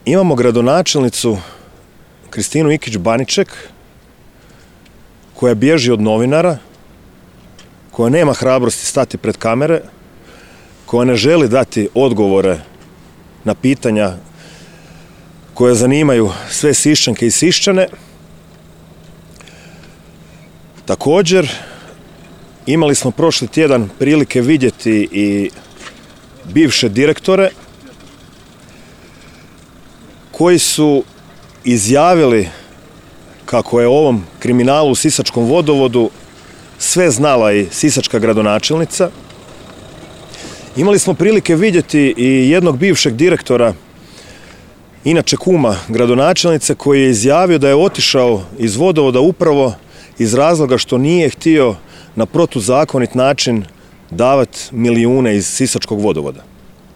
Imamo gradonačelnicu Kristinu Ikić-Baniček koja bježi od novinara, koja nema hrabrosti stati pred kamere, koja ne želi dati odgovore na pitanja koje zanimaju sve Siščanke i Siščane. Također, imali smo prošli tjedan prilike vidjeti i bivše direktore koji su izjavili kako je o ovom kriminalu u sisačkom vodovodu sve znala i sisačka gradonačelnica. Imali smo prilike vidjeti i jednog bivšeg direktora, inače kuma gradonačelnice, koji je izjavio da je otišao iz vodovoda upravo iz razloga što nije htio na protuzakonit način davati milijune iz sisačkog vodovoda.